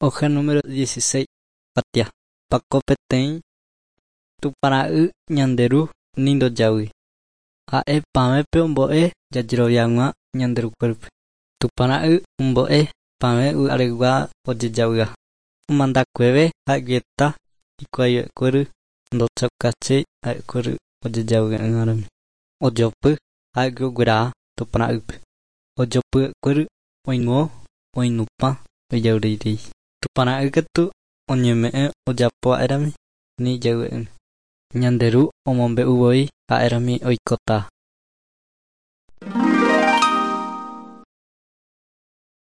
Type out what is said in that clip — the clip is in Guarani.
Hoja número 16 kuatia. Pako peteĩ Tupãra'y ñande Ru ni ndojavýi. Ha'e pavẽpe ombo'e jajerovia hag̃ua ñande Rukuépe. Tupãra'y ombo'e pavẽ yva'aregua ojejavyha. Omandakueve ha'eguieta hikuái ndochaukaséi ha'ekuéra ojejavy'ỹramo. Ojopy ha'égui ogueraha Tupãra'ýpe. Ojopy'akuéra oingo oinupã ojavyreirei. Tupãra'y katu oñeme'ẽ ojapova'erãmi ni ijavy'ỹme. Ñande Ru omombe'uvoi ha'érami oikóta.